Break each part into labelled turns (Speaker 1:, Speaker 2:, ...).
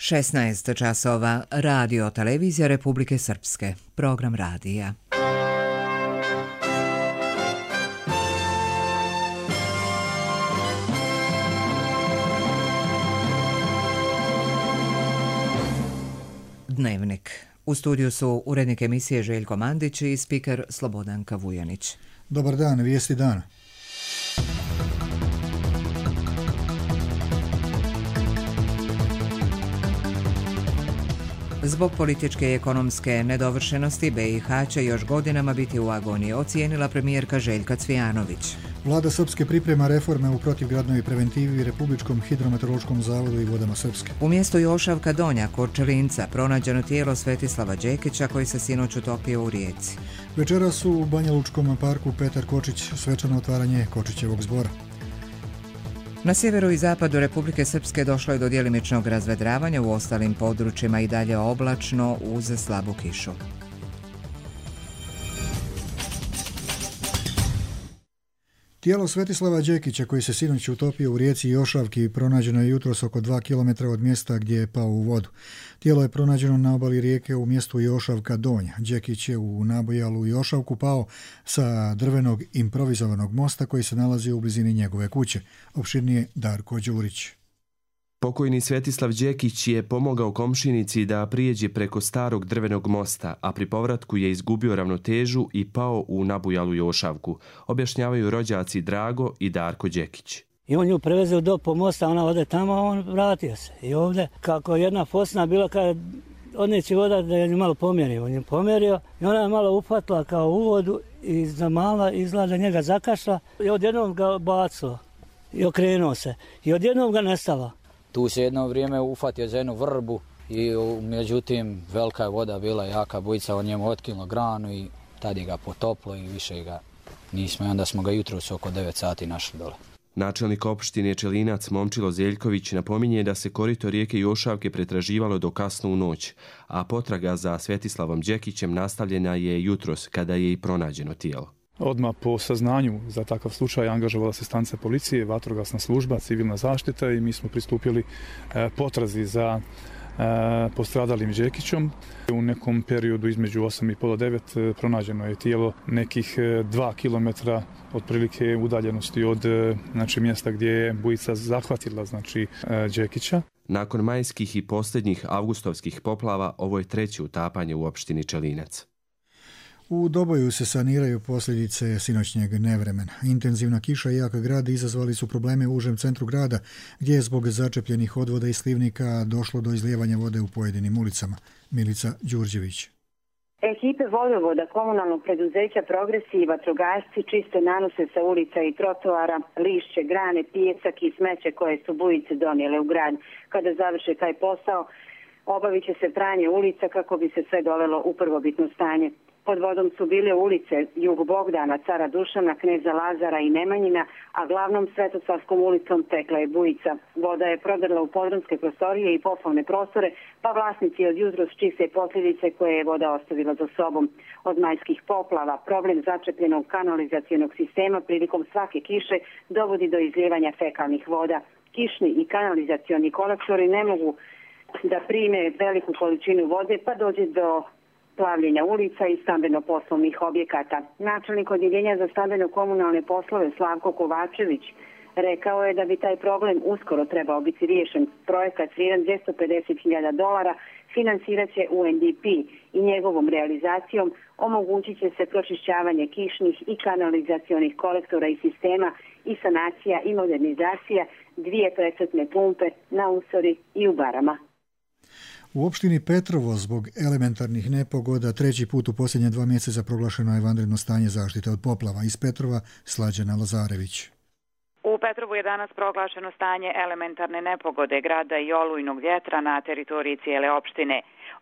Speaker 1: 16 časova, Radio Televizija Republike Srpske, program radija. Dnevnik. U studiju su urednik emisije Željko Mandić i spiker Slobodanka Vujanić.
Speaker 2: Dobar dan, vijesti dana.
Speaker 1: Zbog političke i ekonomske nedovršenosti BiH će još godinama biti u agoniji, ocijenila premijerka Željka Cvijanović.
Speaker 2: Vlada Srpske priprema reforme u protivgradnoj preventivi Republičkom hidrometeorološkom zavodu i vodama Srpske.
Speaker 1: U mjestu Jošavka Donja kod Čelinca pronađeno tijelo Svetislava Đekića koji se sinoć utopio u rijeci.
Speaker 2: Večeras su u Banja Lučkom parku Petar Kočić svečano otvaranje Kočićevog zbora.
Speaker 1: Na sjeveru i zapadu Republike Srpske došlo je do djelimičnog razvedravanja, u ostalim područjima i dalje oblačno uz slabu kišu.
Speaker 2: Tijelo Svetislava Đekića koji se sinoć utopio u rijeci Jošavki pronađeno je jutros oko 2 km od mjesta gdje je pao u vodu. Tijelo je pronađeno na obali rijeke u mjestu Jošavka Donja. Đekić je u nabojalu Jošavku pao sa drvenog improvizovanog mosta koji se nalazi u blizini njegove kuće. Opširnije Darko Đurić.
Speaker 3: Pokojni Svetislav Đekić je pomogao komšinici da prijeđe preko starog drvenog mosta, a pri povratku je izgubio ravnotežu i pao u nabujalu Jošavku, objašnjavaju rođaci Drago i Darko Đekić.
Speaker 4: I on ju prevezeo do po mosta, ona ode tamo, a on vratio se. I ovdje, kako jedna fosna bila kada odneći voda da je malo pomjerio. On je pomjerio i ona je malo upatila kao u vodu i zamala, izgleda njega zakašla i odjednom ga bacilo i okrenuo se. I odjednom ga nestala.
Speaker 5: Tu se jedno vrijeme ufatio za jednu vrbu i međutim velika je voda bila, jaka bujica, on njemu otkinulo granu i tad je ga potoplo i više ga nismo. I onda smo ga jutros oko 9 sati našli dole.
Speaker 3: Načelnik opštine Čelinac Momčilo Zeljković napominje da se korito rijeke Jošavke pretraživalo do kasno u noć, a potraga za Svetislavom Đekićem nastavljena je jutros kada je i pronađeno tijelo.
Speaker 6: Odmah po saznanju za takav slučaj angažovala se stanica policije, vatrogasna služba, civilna zaštita i mi smo pristupili potrazi za postradalim Đekićom. U nekom periodu između 8:30 i 9 pronađeno je tijelo nekih 2 km otprilike udaljenosti od mjesta gdje je bujica zahvatila Đekića.
Speaker 3: Nakon majskih i posljednjih avgustovskih poplava ovo je treće utapanje u opštini Čelinac.
Speaker 2: U Doboju se saniraju posljedice sinoćnjeg nevremena. Intenzivna kiša i jak grad izazvali su probleme u užem centru grada, gdje je zbog začepljenih odvoda i slivnika došlo do izlijevanja vode u pojedinim ulicama. Milica Đurđević.
Speaker 7: Ekipe vodovoda komunalnog preduzeća Progresi i vatrogasci čiste nanose sa ulica i trotoara, lišće, grane, pijesak i smeće koje su bujice donijele u grad. Kada završe taj posao, obavit će se pranje ulica kako bi se sve dovelo u prvobitno stanje. Pod vodom su bile ulice Jug Bogdana, Cara Dušana, Kneza Lazara i Nemanjina, a glavnom Svetosavskom ulicom tekla je bujica. Voda je prodrla u podrumske prostorije i poslovne prostore, pa vlasnici od jutros čiste posljedice koje je voda ostavila za sobom. Od majskih poplava problem začepljenog kanalizacionog sistema prilikom svake kiše dovodi do izlijevanja fekalnih voda. Kišni i kanalizacioni kolektori ne mogu da prime veliku količinu vode, pa dođe do plavljenja ulica i stambeno-poslovnih objekata. Načelnik odjeljenja za stambeno-komunalne poslove Slavko Kovačević rekao je da bi taj problem uskoro trebao biti riješen. Projekat vrijedan $250.000 financirat će UNDP i njegovom realizacijom omogućit će se pročišćavanje kišnih i kanalizacionih kolektora i sistema i sanacija i modernizacija 2 precrtne pumpe na Usori i u Barama.
Speaker 2: U opštini Petrovo zbog elementarnih nepogoda treći put u posljednje 2 mjeseca proglašeno je vanredno stanje zaštite od poplava. Iz Petrova Slađana Lazarević.
Speaker 8: U Petrovu je danas proglašeno stanje elementarne nepogode, grada i olujnog vjetra na teritoriji cijele opštine.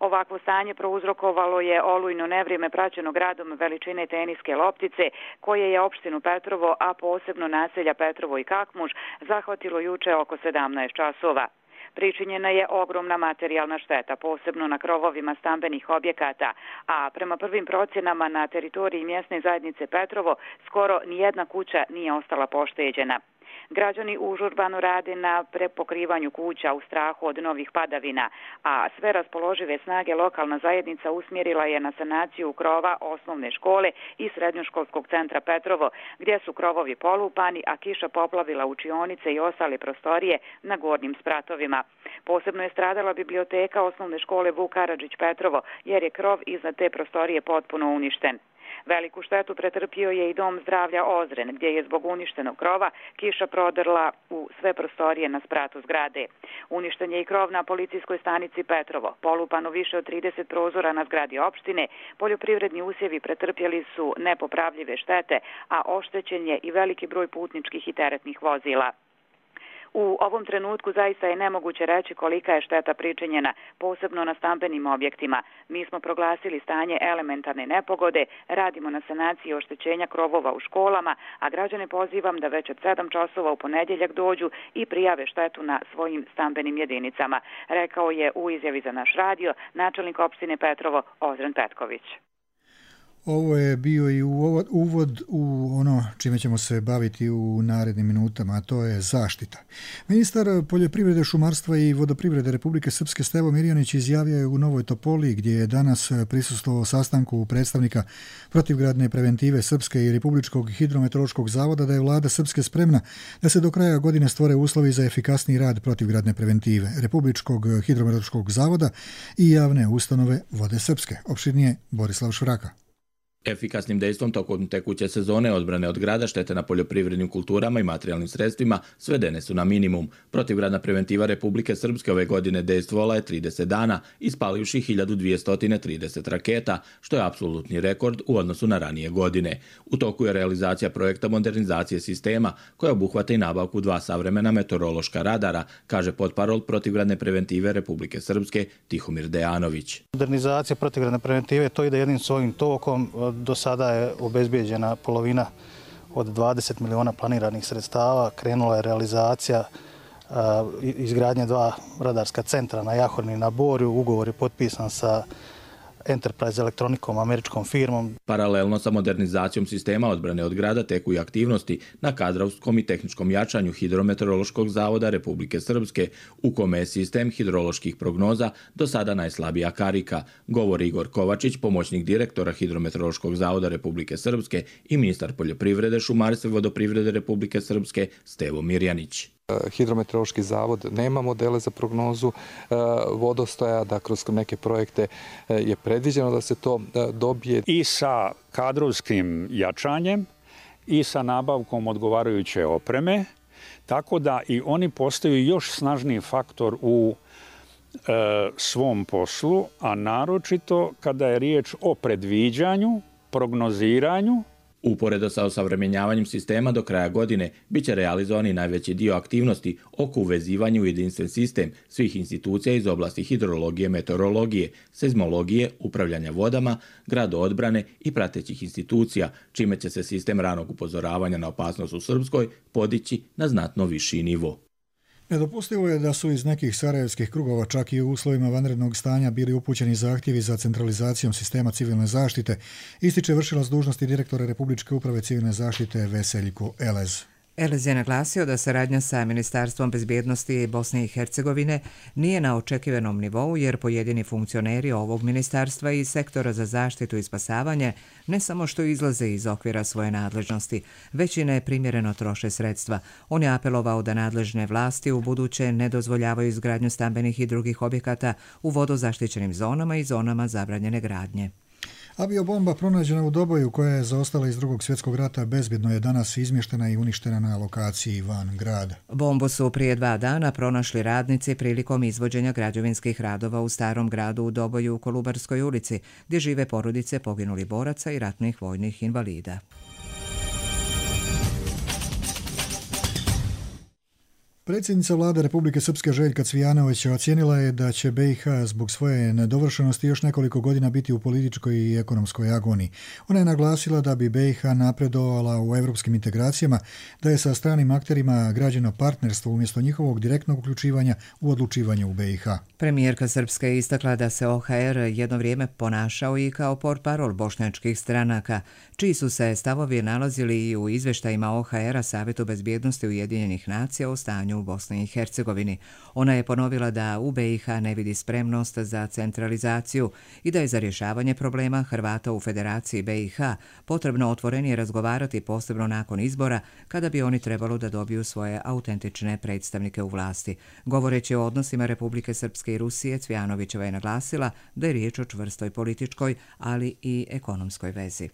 Speaker 8: Ovakvo stanje prouzrokovalo je olujno nevrijeme praćeno gradom veličine teniske loptice, koje je opštinu Petrovo, a posebno naselja Petrovo i Kakmuž, zahvatilo juče oko 17 časova. Pričinjena je ogromna materijalna šteta, posebno na krovovima stambenih objekata, a prema prvim procjenama na teritoriji mjesne zajednice Petrovo skoro nijedna kuća nije ostala pošteđena. Građani užurbano rade na prepokrivanju kuća u strahu od novih padavina, a sve raspoložive snage lokalna zajednica usmjerila je na sanaciju krova osnovne škole i srednjoškolskog centra Petrovo, gdje su krovovi polupani, a kiša poplavila učionice i ostale prostorije na gornjim spratovima. Posebno je stradala biblioteka osnovne škole Vuk Karadžić Petrovo, jer je krov iznad te prostorije potpuno uništen. Veliku štetu pretrpio je i dom zdravlja Ozren, gdje je zbog uništenog krova kiša prodrla u sve prostorije na spratu zgrade. Uništen je i krov na policijskoj stanici Petrovo, polupano više od 30 prozora na zgradi opštine, poljoprivredni usjevi pretrpjeli su nepopravljive štete, a oštećen je i veliki broj putničkih i teretnih vozila. U ovom trenutku zaista je nemoguće reći kolika je šteta pričinjena, posebno na stambenim objektima. Mi smo proglasili stanje elementarne nepogode, radimo na sanaciji oštećenja krovova u školama, a građane pozivam da već od 7 časova u ponedjeljak dođu i prijave štetu na svojim stambenim jedinicama, rekao je u izjavi za naš radio načelnik opštine Petrovo Ozren Petković.
Speaker 2: Ovo je bio i uvod u ono čime ćemo se baviti u narednim minutama, a to je zaštita. Ministar poljoprivrede, šumarstva i vodoprivrede Republike Srpske Stevo Mirjanić izjavio je u Novoj Topoli, gdje je danas prisustvovao sastanku predstavnika protivgradne preventive Srpske i Republičkog hidrometeorološkog zavoda, da je vlada Srpske spremna da se do kraja godine stvore uslovi za efikasniji rad protivgradne preventive Republičkog hidrometeorološkog zavoda i javne ustanove Vode Srpske. Opširnije Borislav Švraka.
Speaker 9: Efikasnim dejstvom tokom tekuće sezone odbrane od grada, štete na poljoprivrednim kulturama i materijalnim sredstvima svedene su na minimum. Protivgradna preventiva Republike Srpske ove godine dejstvovala je 30 dana, ispalivši 1230 raketa, što je apsolutni rekord u odnosu na ranije godine. U toku je realizacija projekta modernizacije sistema, koja obuhvata i nabavku 2 savremena meteorološka radara, kaže potparol protivgradne preventive Republike Srpske Tihomir Dejanović.
Speaker 10: Modernizacija protivgradne preventive to ide jednim svojim tokom. Do sada je obezbijeđena polovina od 20 miliona planiranih sredstava. Krenula je realizacija izgradnje 2 radarska centra na Jahorni i na Borju. Ugovor je potpisan sa Enterprise elektronikom, američkom firmom.
Speaker 9: Paralelno sa modernizacijom sistema odbrane od grada teku i aktivnosti na kadrovskom i tehničkom jačanju Hidrometeorološkog zavoda Republike Srpske, u kome je sistem hidroloških prognoza do sada najslabija karika, govori Igor Kovačić, pomoćnik direktora Hidrometeorološkog zavoda Republike Srpske i ministar poljoprivrede, šumarstva i vodoprivrede Republike Srpske Stevo Mirjanić.
Speaker 11: Hidrometeorološki zavod nema modele za prognozu vodostaja, da kroz neke projekte je predviđeno da se to dobije.
Speaker 12: I sa kadrovskim jačanjem i sa nabavkom odgovarajuće opreme, tako da i oni postaju još snažniji faktor u svom poslu, a naročito kada je riječ o predviđanju, prognoziranju.
Speaker 9: Uporedo sa osavremenjavanjem sistema do kraja godine biće realizovani najveći dio aktivnosti oko uvezivanja u jedinstven sistem svih institucija iz oblasti hidrologije, meteorologije, seizmologije, upravljanja vodama, gradoodbrane i pratećih institucija, čime će se sistem ranog upozoravanja na opasnost u Srpskoj podići na znatno viši nivo.
Speaker 2: Nedopustivo je da su iz nekih sarajevskih krugova čak i u uslovima vanrednog stanja bili upućeni zahtjevi za centralizacijom sistema civilne zaštite, ističe vršilac dužnosti direktora Republičke uprave civilne zaštite Veseljko Elez.
Speaker 1: Elez je naglasio da saradnja sa Ministarstvom bezbjednosti Bosne i Hercegovine nije na očekivanom nivou, jer pojedini funkcioneri ovog ministarstva i sektora za zaštitu i spasavanje ne samo što izlaze iz okvira svoje nadležnosti, već i neprimjereno troše sredstva. On je apelovao da nadležne vlasti u buduće ne dozvoljavaju izgradnju stambenih i drugih objekata u vodozaštićenim zonama i zonama zabranjene gradnje.
Speaker 2: Aviobomba pronađena u Doboju, koja je zaostala iz Drugog svjetskog rata, bezbjedno je danas izmještena i uništena na lokaciji van grada.
Speaker 1: Bombu su prije 2 dana pronašli radnici prilikom izvođenja građevinskih radova u starom gradu u Doboju u Kolubarskoj ulici, gdje žive porodice poginulih boraca i ratnih vojnih invalida.
Speaker 2: Predsjednica vlade Republike Srpske Željka Cvijanović ocijenila je da će BiH zbog svoje nedovršenosti još nekoliko godina biti u političkoj i ekonomskoj agoniji. Ona je naglasila da bi BiH napredovala u europskim integracijama, da je sa stranim akterima građeno partnerstvo umjesto njihovog direktnog uključivanja u odlučivanje u BiH.
Speaker 1: Premijerka Srpske je istakla da se OHR jedno vrijeme ponašao i kao portparol bošnjačkih stranaka, čiji su se stavovi nalazili i u izvještajima OHR-a Savjetu bezbjednosti Ujedinjenih nacija o stanju u Bosni i Hercegovini. Ona je ponovila da u BiH ne vidi spremnost za centralizaciju i da je za rješavanje problema Hrvata u Federaciji BiH potrebno otvorenije razgovarati, posebno nakon izbora, kada bi oni trebalo da dobiju svoje autentične predstavnike u vlasti. Govoreći o odnosima Republike Srpske i Rusije, Cvijanovićeva je naglasila da je riječ o čvrstoj političkoj, ali i ekonomskoj vezi.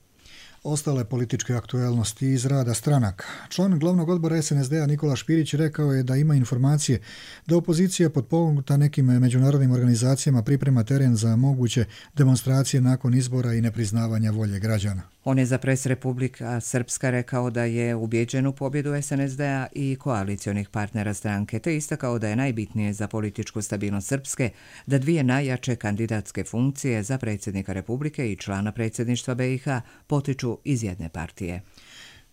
Speaker 2: Ostale političke aktuelnosti iz rada stranaka. Član glavnog odbora SNSD-a Nikola Špirić rekao je da ima informacije da opozicija potpomognuta nekim međunarodnim organizacijama priprema teren za moguće demonstracije nakon izbora i nepriznavanja volje građana.
Speaker 1: On je za Pres Republika Srpska rekao da je ubijeđen u pobjedu SNSD-a i koalicionih partnera stranke, te istakao da je najbitnije za političku stabilnost Srpske da dvije najjače kandidatske funkcije za predsjednika Republike i člana predsjedništva BiH potiču iz jedne partije.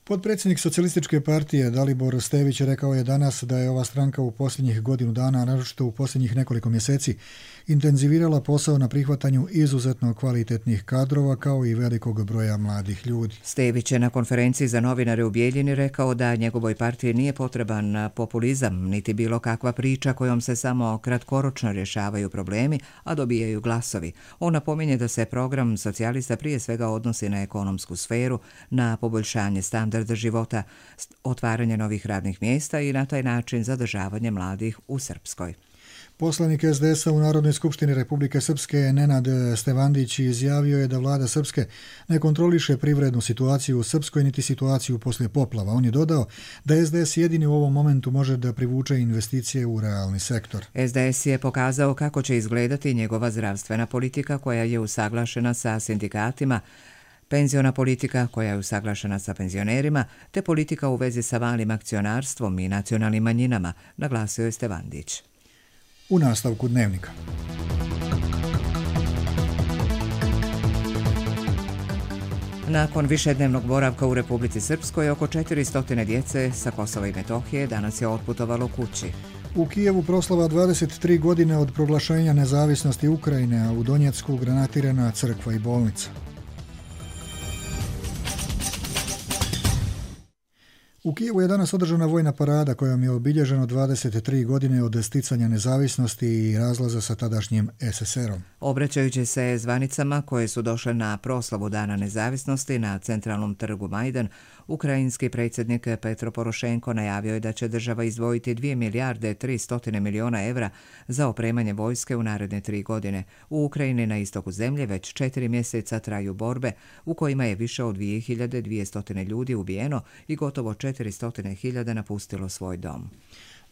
Speaker 2: Potpredsjednik Socijalističke partije Dalibor Stević rekao je danas da je ova stranka u posljednjih godinu dana, naročito u posljednjih nekoliko mjeseci, intenzivirala posao na prihvatanju izuzetno kvalitetnih kadrova kao i velikog broja mladih ljudi.
Speaker 1: Stević je na konferenciji za novinare u Bijeljini rekao da njegovoj partiji nije potreban populizam, niti bilo kakva priča kojom se samo kratkoročno rješavaju problemi, a dobijaju glasovi. On napominje da se program socijalista prije svega odnosi na ekonomsku sferu, na poboljšanje standarda života, otvaranje novih radnih mjesta i na taj način zadržavanje mladih u Srpskoj.
Speaker 2: Poslanik SDS-a u Narodnoj skupštini Republike Srpske Nenad Stevandić izjavio je da vlada Srpske ne kontroliše privrednu situaciju u Srpskoj niti situaciju poslije poplava. On je dodao da SDS jedini u ovom momentu može da privuče investicije u realni sektor.
Speaker 1: SDS je pokazao kako će izgledati njegova zdravstvena politika koja je usaglašena sa sindikatima, penziona politika koja je usaglašena sa penzionerima, te politika u vezi sa malim akcionarstvom i nacionalnim manjinama, naglasio je Stevandić.
Speaker 2: U nastavku dnevnika.
Speaker 1: Nakon višednevnog boravka u Republici Srpskoj, oko 400 djece sa Kosova i Metohije danas je otputovalo kući.
Speaker 2: U Kijevu proslava 23 godine od proglašenja nezavisnosti Ukrajine, a u Donjecku granatirana crkva i bolnica. U Kijevu je danas održana vojna parada kojom je obilježeno 23 godine od sticanja nezavisnosti i razlaza sa tadašnjim SSR-om.
Speaker 1: Obraćajući se zvanicama koje su došle na proslavu Dana nezavisnosti na centralnom trgu Majdan, ukrajinski predsjednik Petro Porošenko najavio je da će država izdvojiti 2 milijarde 300 milijuna evra za opremanje vojske u naredne 3 godine. U Ukrajini na istoku zemlje već 4 mjeseca traju borbe u kojima je više od 2200 ljudi ubijeno i gotovo 400.000 napustilo svoj dom.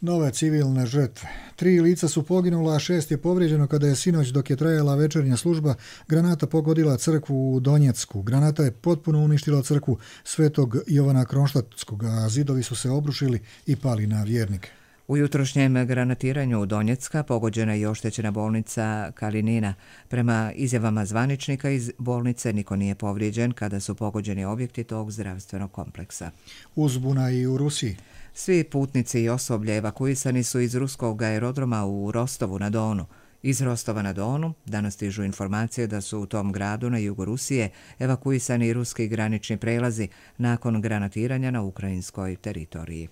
Speaker 2: Nove civilne žrtve. 3 lica su poginula, a 6 je povrijeđeno kada je sinoć, dok je trajala večernja služba, granata pogodila crkvu u Donjecku. Granata je potpuno uništila crkvu Svetog Jovana Kronštatskog, a zidovi su se obrušili i pali na vjernike.
Speaker 1: U jutrošnjem granatiranju u Donjecka pogođena je i oštećena bolnica Kalinina. Prema izjavama zvaničnika iz bolnice niko nije povrijeđen kada su pogođeni objekti tog zdravstvenog kompleksa.
Speaker 2: Uzbuna i u Rusiji.
Speaker 1: Svi putnici i osoblje evakuisani su iz ruskog aerodroma u Rostovu na Donu. Iz Rostova na Donu danas stižu informacije da su u tom gradu na jugu Rusije evakuisani ruski granični prelazi nakon granatiranja na ukrajinskoj teritoriji.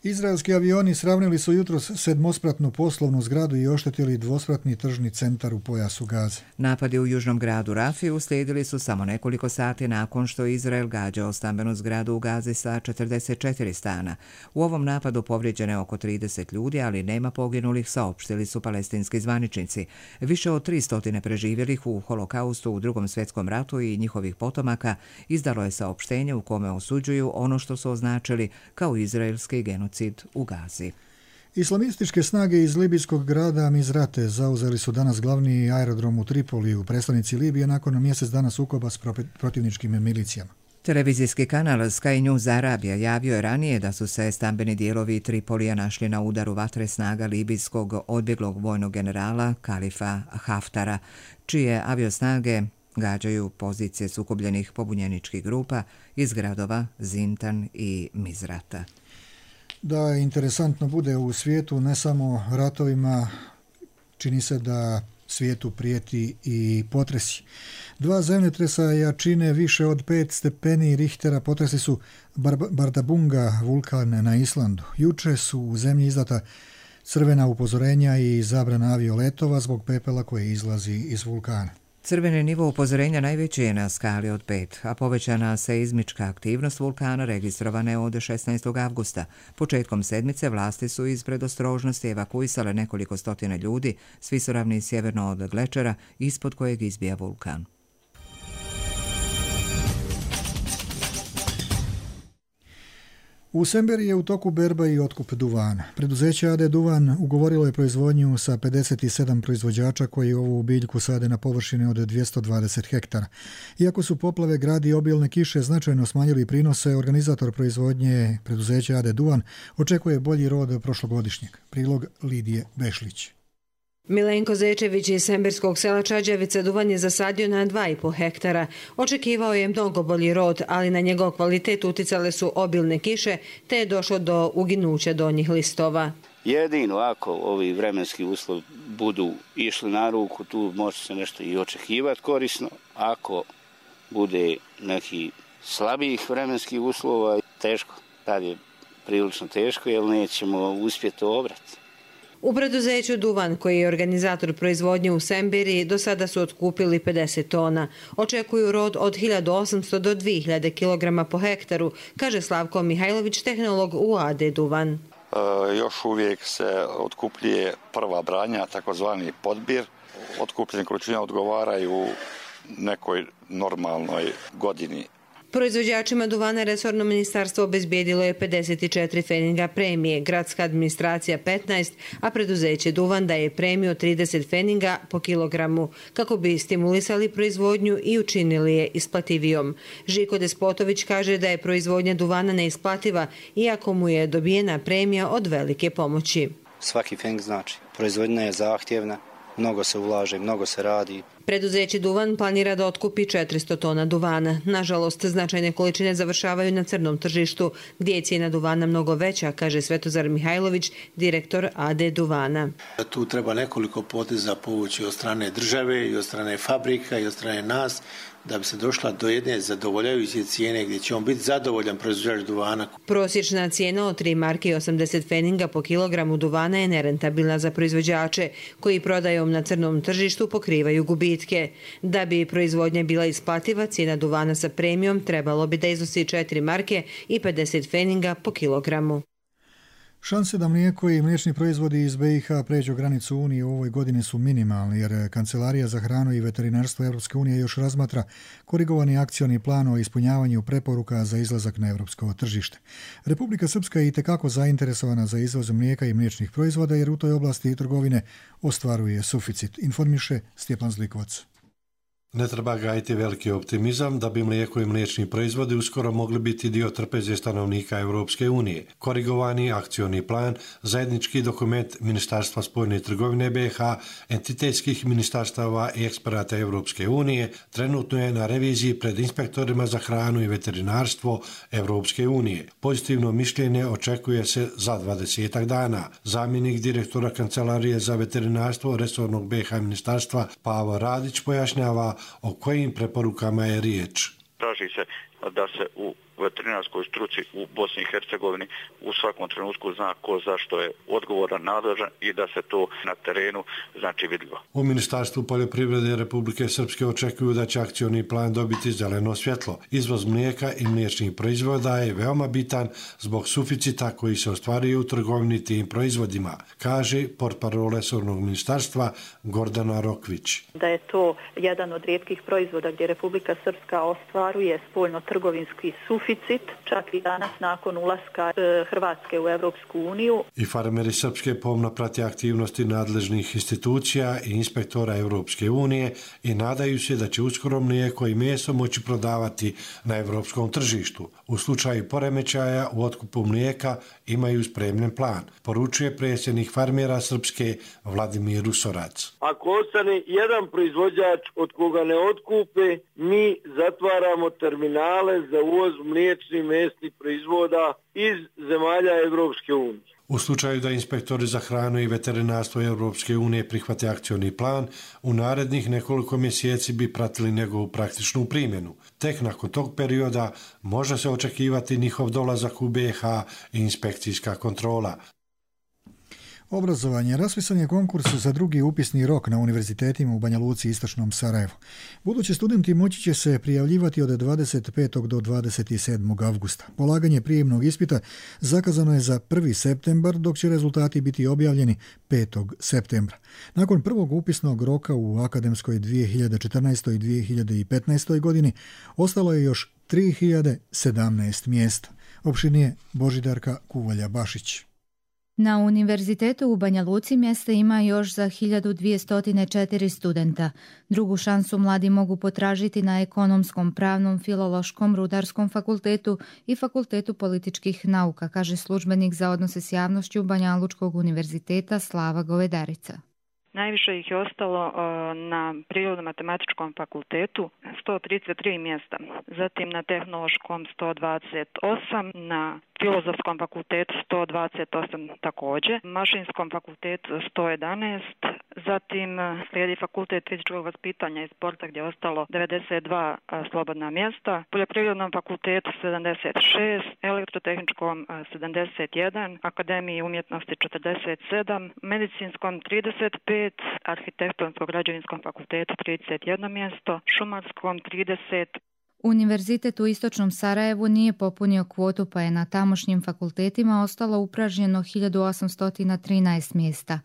Speaker 2: Izraelski avioni sravnili su jutros sedmospratnu poslovnu zgradu i oštetili dvospratni tržni centar u pojasu Gaze.
Speaker 1: Napadi u južnom gradu Rafi uslijedili su samo nekoliko sati nakon što Izrael gađao stambenu zgradu u Gazi sa 44 stana. U ovom napadu povrijeđeno je oko 30 ljudi, ali nema poginulih, saopštili su palestinski zvaničnici. Više od 300 preživjelih u holokaustu u Drugom svjetskom ratu i njihovih potomaka izdalo je saopštenje u kome osuđuju ono što su označili kao izraelski genocid u Gazi.
Speaker 2: Islamističke snage iz libijskog grada Mizrate zauzeli su danas glavni aerodrom u Tripoliju, predstavnici Libije, nakon mjesec dana sukoba s protivničkim milicijama.
Speaker 1: Televizijski kanal Sky News Arabija javio je ranije da su se stambeni dijelovi Tripolija našli na udaru vatre snaga libijskog odbjeglog vojnog generala Kalifa Haftara, čije aviosnage gađaju pozicije sukobljenih pobunjeničkih grupa iz gradova Zintan i Mizrata.
Speaker 2: Da interesantno bude u svijetu, ne samo ratovima, čini se da svijetu prijeti i potresi. 2 zemljotresa jačine više od 5 stepeni Richtera potresi su Bardarbunga, vulkan na Islandu. Juče su u zemlji izdata crvena upozorenja i zabrana avioletova zbog pepela koje izlazi iz vulkana.
Speaker 1: Crveni nivo upozorenja najveći je na skali od 5, a povećana seizmička aktivnost vulkana registrovana je od 16. avgusta. Početkom sedmice vlasti su iz predostrožnosti evakuisale nekoliko stotina ljudi s visoravni sjeverno od glečera ispod kojeg izbija vulkan.
Speaker 2: U Semberiji je u toku berba i otkup duvana. Preduzeće AD Duvan ugovorilo je proizvodnju sa 57 proizvođača koji ovu biljku sade na površini od 220 hektara. Iako su poplave, grad i obilne kiše značajno smanjili prinose, organizator proizvodnje preduzeća AD Duvan očekuje bolji rod prošlogodišnjeg. Prilog Lidije Bešlić.
Speaker 13: Milenko Zečević iz semberskog sela Čađavica duvan je zasadio na 2,5 hektara. Očekivao je mnogo bolji rod, ali na njegov kvalitet uticale su obilne kiše, te je došlo do uginuća donjih listova.
Speaker 14: Jedino ako ovi vremenski uslovi budu išli na ruku, tu može se nešto i očekivati korisno. Ako bude neki slabijih vremenskih uslova, teško. Tad je prilično teško jer nećemo uspjeti obrati.
Speaker 13: U preduzeću Duvan, koji je organizator proizvodnje u Semberiji, do sada su otkupili 50 tona. Očekuju rod od 1800 do 2000 kg po hektaru, kaže Slavko Mihajlović, tehnolog u AD Duvan.
Speaker 15: Još uvijek se otkupljuje prva branja, takozvani podbir. Otkupljene količine odgovaraju nekoj normalnoj godini.
Speaker 13: Proizvođačima duvana resorno ministarstvo obezbijedilo je 54 feninga premije, gradska administracija 15, a preduzeće Duvan daje premiju 30 feninga po kilogramu, kako bi stimulisali proizvodnju i učinili je isplativijom. Žiko Despotović kaže da je proizvodnja duvana neisplativa, iako mu je dobijena premija od velike pomoći.
Speaker 16: Svaki fening znači, proizvodnja je zahtjevna, mnogo se ulaže, mnogo se radi.
Speaker 13: Preduzeće Duvan planira da otkupi 400 tona duvana. Nažalost, značajne količine završavaju na crnom tržištu, gdje je cijena duvana mnogo veća, kaže Svetozar Mihajlović, direktor AD Duvana.
Speaker 17: Tu treba nekoliko poteza povući od strane države i od strane fabrika i od strane nas, da bi se došla do jedne zadovoljavajuće cijene gdje će on biti zadovoljan proizvođač duvana.
Speaker 13: Prosječna cijena od 3 marke i 80 feninga po kilogramu duvana je nerentabilna za proizvođače, koji prodajom na crnom tržištu pokrivaju gubitke. Da bi proizvodnja bila isplativa, cijena duvana sa premijom trebalo bi da iznosi 4 marke i 50 feninga po kilogramu.
Speaker 2: Šanse da mlijeko i mliječni proizvodi iz BiH pređu granicu Unije u ovoj godini su minimalni, jer Kancelarija za hranu i veterinarstvo Europske unije još razmatra korigovani akcioni plan o ispunjavanju preporuka za izlazak na europsko tržište. Republika Srpska je itekako zainteresovana za izvoz mlijeka i mliječnih proizvoda, jer u toj oblasti trgovine ostvaruje suficit, informiše Stjepan Zlikovac.
Speaker 18: Ne treba gajiti veliki optimizam da bi mlijeko i mliječni proizvodi uskoro mogli biti dio trpeze stanovnika Europske unije. Korigovani akcioni plan, zajednički dokument Ministarstva spoljne trgovine BiH, entitetskih ministarstava i eksperata Europske unije, trenutno je na reviziji pred inspektorima za hranu i veterinarstvo Europske unije. Pozitivno mišljenje očekuje se za 20 dana. Zamjenik direktora Kancelarije za veterinarstvo resornog BiH ministarstva Pavo Radić pojašnjava o kojim preporukama je riječ.
Speaker 19: Traži se da se u veterinarskoj struci u Bosni i Hercegovini u svakom trenutku zna ko zašto je odgovoran, nadležan i da se to na terenu znači vidljivo.
Speaker 18: U Ministarstvu poljoprivrede Republike Srpske očekuju da će akcioni plan dobiti zeleno svjetlo. Izvoz mlijeka i mliječnih proizvoda je veoma bitan zbog suficita koji se ostvaruje u trgovini tim proizvodima, kaže portparol resornog ministarstva Gordana Rokvić.
Speaker 20: Da je to jedan od rijetkih proizvoda gdje Republika Srpska ostvaruje spoljno-trgovinski suficit suficit, čak i danas nakon ulaska Hrvatske u Europsku uniju.
Speaker 18: I farmeri Srpske pomno prate aktivnosti nadležnih institucija i inspektora Europske unije i nadaju se da će uskoro mlijeko i meso moći prodavati na europskom tržištu. U slučaju poremećaja u otkupu mlijeka imaju spremljen plan, poručuje predsjednik farmera Srpske Vladimir Rusorac.
Speaker 21: Ako ostane jedan proizvođač od koga ne otkupe, mi zatvaramo terminale za uvoz mliječnih mesnih proizvoda iz zemalja Europske unije.
Speaker 18: U slučaju da inspektori za hranu i veterinarstvo Europske unije prihvate akcioni plan, u narednih nekoliko mjeseci bi pratili njegovu praktičnu primjenu. Tek nakon tog perioda može se očekivati njihov dolazak u BiH i inspekcijska kontrola.
Speaker 2: Obrazovanje. Raspisan je konkurs za drugi upisni rok na univerzitetima u Banja Luci i Istočnom Sarajevu. Budući studenti moći će se prijavljivati od 25. do 27. avgusta. Polaganje prijemnog ispita zakazano je za 1. septembar, dok će rezultati biti objavljeni 5. septembra. Nakon prvog upisnog roka u akademskoj 2014. i 2015. godini ostalo je još 3017 mjesta. Opširnije Božidarka Kuvalja-Bašić.
Speaker 22: Na univerzitetu u Banja Luci mjesta ima još za 1204 studenta. Drugu šansu mladi mogu potražiti na ekonomskom, pravnom, filološkom, rudarskom fakultetu i fakultetu političkih nauka, kaže službenik za odnose s javnošću Banja Lučkog univerziteta Slava Govedarica.
Speaker 23: Najviše ih je ostalo na Prirodno-matematičkom fakultetu 133 mjesta, zatim na Tehnološkom 128, na Filozofskom fakultetu 128 također, Mašinskom fakultetu 111, zatim slijedi Fakultet fizičkog vaspitanja i sporta gdje je ostalo 92 slobodna mjesta, Poljoprivrednom fakultetu 76, Elektrotehničkom 71, Akademiji umjetnosti 47, Medicinskom 35, Arhitektonsko-građevinskom fakultetu 31 mjesto, Šumarskom 30.
Speaker 22: Univerzitet u Istočnom Sarajevu nije popunio kvotu, pa je na tamošnjim fakultetima ostalo upražnjeno 1813 mjesta.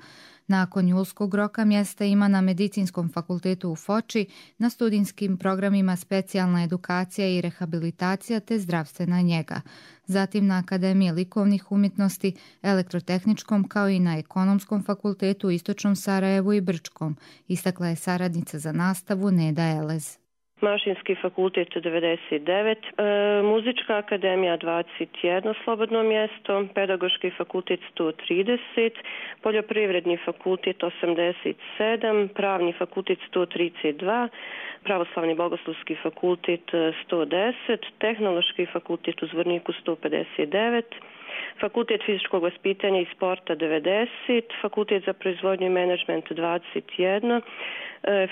Speaker 22: Nakon julskog roka mjesta ima na Medicinskom fakultetu u Foči, na studijskim programima specijalna edukacija i rehabilitacija te zdravstvena njega. Zatim na Akademiji likovnih umjetnosti, Elektrotehničkom kao i na Ekonomskom fakultetu u Istočnom Sarajevu i Brčkom, istakla je saradnica za nastavu Neda Elez.
Speaker 24: Mašinski fakultet 99, Muzička akademija 21 slobodno mjesto, Pedagoški fakultet 130, Poljoprivredni fakultet 87, Pravni fakultet 132, Pravoslavni bogoslovski fakultet 110, Tehnološki fakultet u Zvorniku 159, Fakultet fizičkog vaspitanja i sporta 90, Fakultet za proizvodnju i menadžment 21,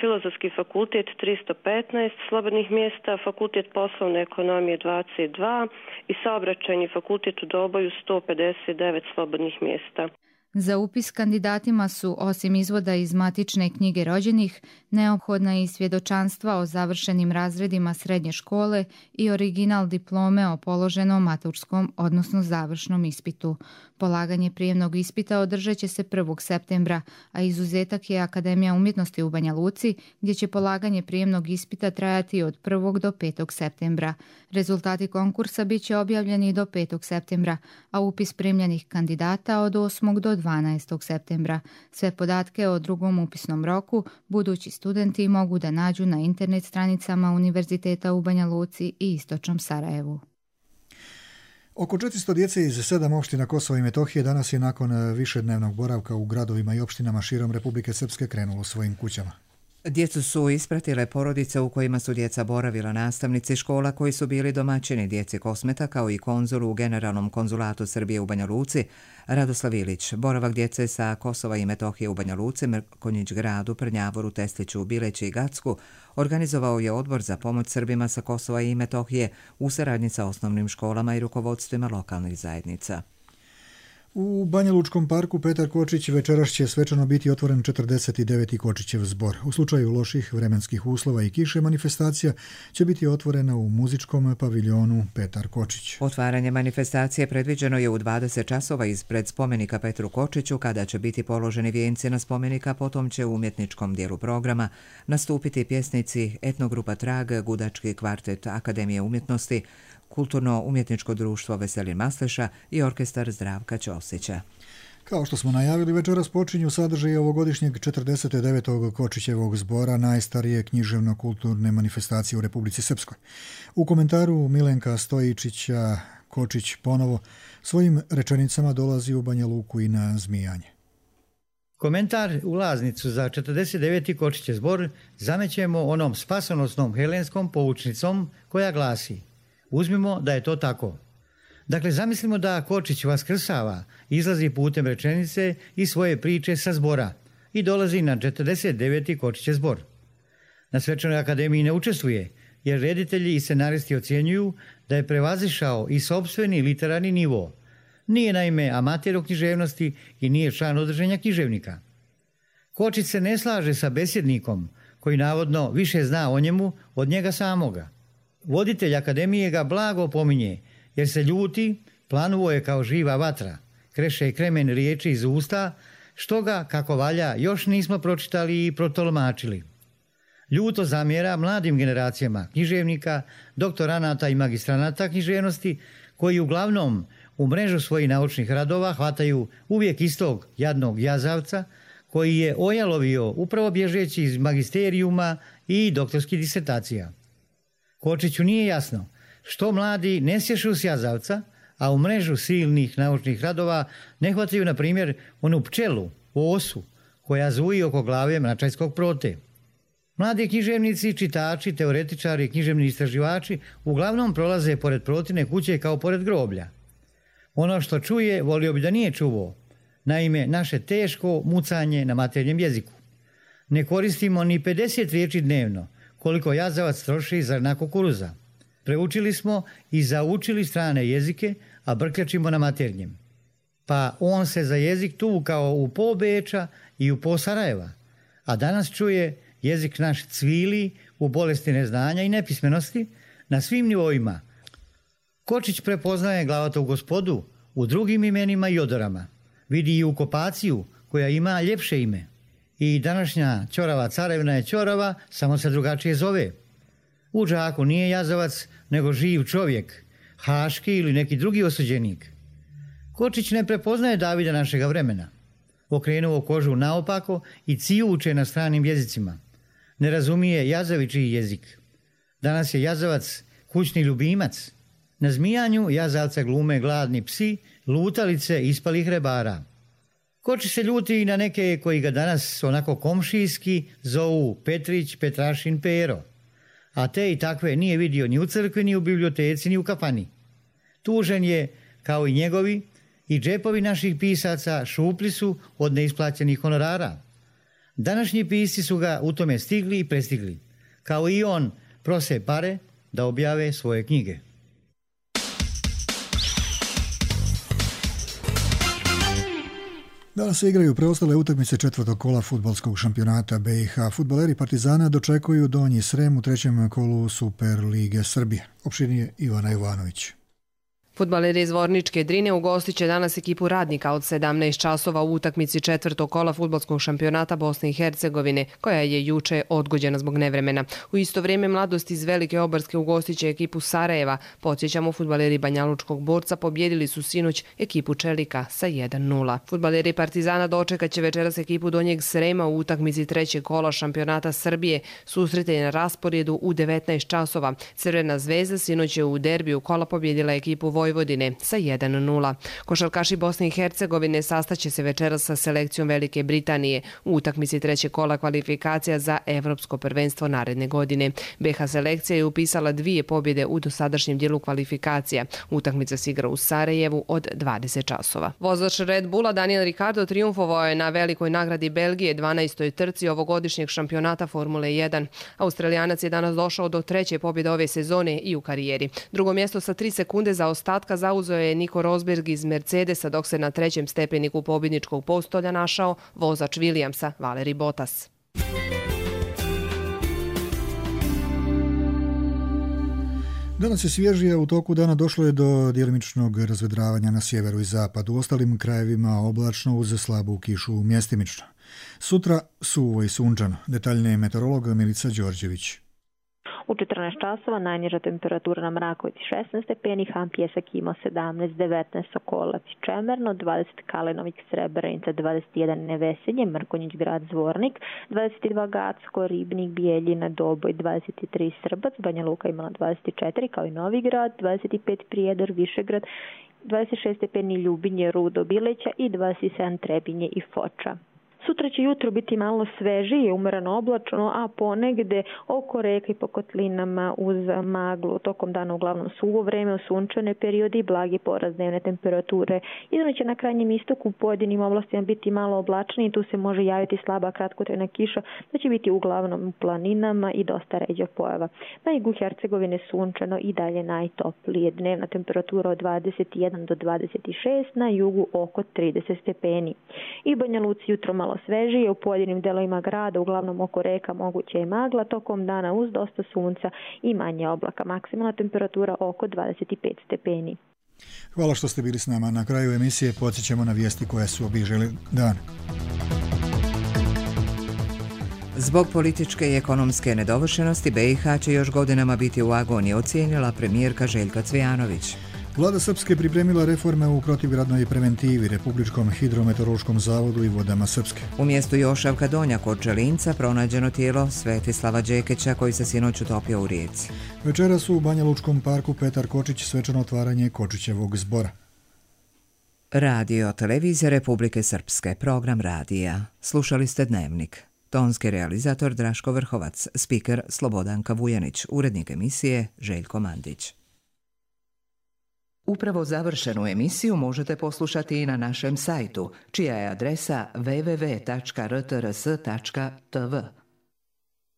Speaker 24: Filozofski fakultet 315 slobodnih mjesta, Fakultet poslovne ekonomije 22 i Saobraćajni fakultet u Doboju 159 slobodnih mjesta.
Speaker 22: Za upis kandidatima su, osim izvoda iz matične knjige rođenih, neophodna i svjedočanstva o završenim razredima srednje škole i original diplome o položenom maturskom, odnosno završnom ispitu. Polaganje prijemnog ispita održat će se 1. septembra, a izuzetak je Akademija umjetnosti u Banja Luci, gdje će polaganje prijemnog ispita trajati od 1. do 5. septembra. Rezultati konkursa bit će objavljeni do 5. septembra, a upis primljenih kandidata od 8. do 12. septembra. Sve podatke o drugom upisnom roku budući studenti mogu da nađu na internet stranicama Univerziteta u Banja Luci i Istočnom Sarajevu.
Speaker 2: Oko 400 djece iz 7 opština Kosova i Metohije danas je nakon višednevnog boravka u gradovima i opštinama širom Republike Srpske krenulo svojim kućama.
Speaker 1: Djecu su ispratile porodice u kojima su djeca boravila, nastavnici škola koji su bili domaćini djeci Kosmeta, kao i konzul u Generalnom konzulatu Srbije u Banja Luci, Radoslav Ilić. Boravak djece sa Kosova i Metohije u Banja Luci, Mrkonjić gradu, Prnjavoru, Tesliću, Bileći i Gacku organizovao je Odbor za pomoć Srbima sa Kosova i Metohije u saradnji sa osnovnim školama i rukovodstvima lokalnih zajednica.
Speaker 2: U Banja Lučkom parku Petar Kočić večeras će svečano biti otvoren 49. Kočićev zbor. U slučaju loših vremenskih uslova i kiše manifestacija će biti otvorena u muzičkom paviljonu Petar Kočić.
Speaker 1: Otvaranje manifestacije predviđeno je u 20 časova ispred spomenika Petru Kočiću, kada će biti položeni vijenci na spomenika, potom će u umjetničkom dijelu programa nastupiti pjesnici etnogrupa Trag, gudački kvartet Akademije umjetnosti, Kulturno-umjetničko društvo Veselin Masleša i orkestar Zdravka Ćosića.
Speaker 2: Kao što smo najavili, večeras počinju sadržaj ovogodišnjeg 49. Kočićevog zbora, najstarije književno-kulturne manifestacije u Republici Srpskoj. U komentaru Milenka Stojičića Kočić ponovo svojim rečenicama dolazi u Banja Luku i na Zmijanje.
Speaker 3: Komentar ulaznicu za 49. Kočićev zbor zamećemo onom spasonosnom helenskom poučnicom koja glasi: uzmimo da je to tako. Dakle, zamislimo da Kočić vaskrsava, izlazi putem rečenice i svoje priče sa zbora i dolazi na 49. Kočićev zbor. Na Svečanoj akademiji ne učestvuje, jer reditelji i scenaristi ocjenjuju da je prevazišao i sopstveni literarni nivo. Nije naime amater u književnosti i nije član udruženja književnika. Kočić se ne slaže sa besjednikom, koji navodno više zna o njemu od njega samoga. Voditelj akademije ga blago pominje, jer se ljuti, planuo je kao živa vatra, kreše kremen riječi iz usta, što ga, kako valja, još nismo pročitali i protolmačili. Ljuto zamjera mladim generacijama književnika, doktoranata i magistranata književnosti, koji uglavnom u mrežu svojih naučnih radova hvataju uvijek istog jadnog jazavca, koji je ojalovio upravo bježeći iz magisterijuma i doktorskih disertacija. Kočiću nije jasno što mladi ne sješu s jazavca, a u mrežu silnih naučnih radova ne hvataju, na primjer, onu pčelu, osu, koja zuji oko glave mračajskog prote. Mladi književnici, čitači, teoretičari, književni istraživači uglavnom prolaze pored protine kuće kao pored groblja. Ono što čuje, volio bi da nije čuo. Naime, naše teško mucanje na maternjem jeziku. Ne koristimo ni 50 riječi dnevno, koliko jazavac troši zrna kukuruza. Preučili smo i zaučili strane jezike, a brkljačimo na maternjem. Pa on se za jezik tuvukao u po Beča i u po Sarajeva, a danas čuje jezik naš cvili u bolesti neznanja i nepismenosti na svim nivoima. Kočić prepoznaje glavatovu gospodu u drugim imenima i odorama. Vidi i ukopaciju koja ima ljepše ime. I današnja ćorava carevna je ćorava, samo se drugačije zove. U džaku nije jazavac, nego živ čovjek, haški ili neki drugi osuđenik. Kočić ne prepoznaje Davida našega vremena. Okrenuo kožu naopako i cijuče na stranim jezicima. Ne razumije jazavičiji jezik. Danas je jazavac kućni ljubimac. Na Zmijanju jazavca glume gladni psi, lutalice ispalih rebara. Kočić se ljuti i na neke koji ga danas onako komšijski zovu Petrić, Petrašin, Pero. A te i takve nije vidio ni u crkvi, ni u biblioteci, ni u kafani. Tužen je, kao i njegovi, i džepovi naših pisaca šupli su od neisplaćenih honorara. Današnji pisci su ga u tome stigli i prestigli. Kao i on, prose pare da objave svoje knjige.
Speaker 2: Danas se igraju preostale utakmice četvrtog kola fudbalskog šampionata BiH. Fudbaleri Partizana dočekuju Donji Srem u trećem kolu Super lige Srbije. Opširnije Ivana Ivanović.
Speaker 4: Fudbaleri iz Vorničke Drine ugostit će danas ekipu Radnika od 17 časova u utakmici četvrtog kola fudbalskog šampionata Bosne i Hercegovine, koja je juče odgođena zbog nevremena. U isto vrijeme Mladost iz Velike Obarske ugostit će ekipu Sarajeva. Podsjećamo, fudbaleri Banjalučkog Borca pobjedili su sinoć ekipu Čelika sa 1-0. Fudbaleri Partizana dočekat će večeras ekipu Donjeg Srema u utakmici trećeg kola šampionata Srbije. Susret je na rasporedu u 19 časova. Crvena zvezda sinoć je u derbiju kola pobjedila ekipu Vojvodine sa 1-0. Košarkaši Bosne i Hercegovine sastaće se večeras sa selekcijom Velike Britanije u utakmici trećeg kola kvalifikacija za Evropsko prvenstvo naredne godine. BiH selekcija je upisala 2 pobjede u dosadašnjem dijelu kvalifikacija. Utakmica se igra u Sarajevu od 20 časova. Vozač Red Bulla Daniel Ricciardo triumfovao je na velikoj nagradi Belgije 12. trci ovogodišnjeg šampionata Formule 1. Australijanac je danas došao do 3. pobjede ove sezone i u karijeri. Drugo mjesto sa 3 sekunde za ostatka zauzeo je Nico Rosberg iz Mercedesa, dok se na 3. stepeniku pobjedničkog postolja našao vozač Williamsa Valtteri Bottas.
Speaker 2: Danas je svježije, u toku dana došlo je do djelimičnog razvedravanja na sjeveru i zapadu. U ostalim krajevima oblačno uz slabu kišu mjestimično. Sutra suvo i sunčano. Detaljnije meteorolog Milica Đorđević.
Speaker 5: U 14 časova najniža temperatura na Mrakovici 16 stepeni, Han Pjesak ima 17, 19 Sokolac i Čemerno, 20 Kalinovik, Srebrenica, 21 Nevesinje, Mrkonjić grad Zvornik, 22 Gacko, Ribnik, Bijeljina, Doboj, 23 Srbac, Banja Luka imala 24 kao i Novi grad, 25 Prijedor, Višegrad, 26 stepeni Ljubinje, Rudo, Bileća i 27 Trebinje i Foča. Sutra će jutro biti malo svežije, umereno oblačno, a ponegde oko reka i po kotlinama uz maglu. Tokom dana uglavnom suvo vreme, u sunčane periode i blagi porast dnevne temperature. Jedino će na krajnjem istoku u pojedinim oblastima biti malo oblačnije i tu se može javiti slaba kratkotrajna kiša, da će biti uglavnom u planinama i dosta ređa pojava. Na jugu Hercegovine sunčano i dalje najtoplije. Dnevna temperatura od 21 do 26, na jugu oko 30 stepeni. I Banja Luci jutro malo svežije, u pojedinim delovima grada, uglavnom oko reka, moguće je magla, tokom dana uz dosta sunca i manje oblaka. Maksimalna temperatura oko 25 stepeni.
Speaker 2: Hvala što ste bili s nama. Na kraju emisije podsjećamo na vijesti koje su obilježile dan.
Speaker 1: Zbog političke i ekonomske nedovršenosti BiH će još godinama biti u agoniji, ocijenila premijerka Željka Cvijanović.
Speaker 2: Vlada Srpske pripremila reforme u protivgradnoj preventivi, Republičkom hidrometeorološkom zavodu i vodama Srpske.
Speaker 1: U mjestu Jošavka Donja kod Čelinca pronađeno tijelo Svetislava Đekića koji se sinoć utopio u rijeci.
Speaker 2: Večeras u Banja Lučkom parku Petar Kočić svečano otvaranje Kočićevog zbora.
Speaker 1: Radio Televizija Republike Srpske, program radija. Slušali ste Dnevnik. Tonski realizator Draško Vrhovac, spiker Slobodanka Vujanić, urednik emisije Željko Mandić. Upravo završenu emisiju možete poslušati i na našem sajtu, čija je adresa www.rtrs.tv.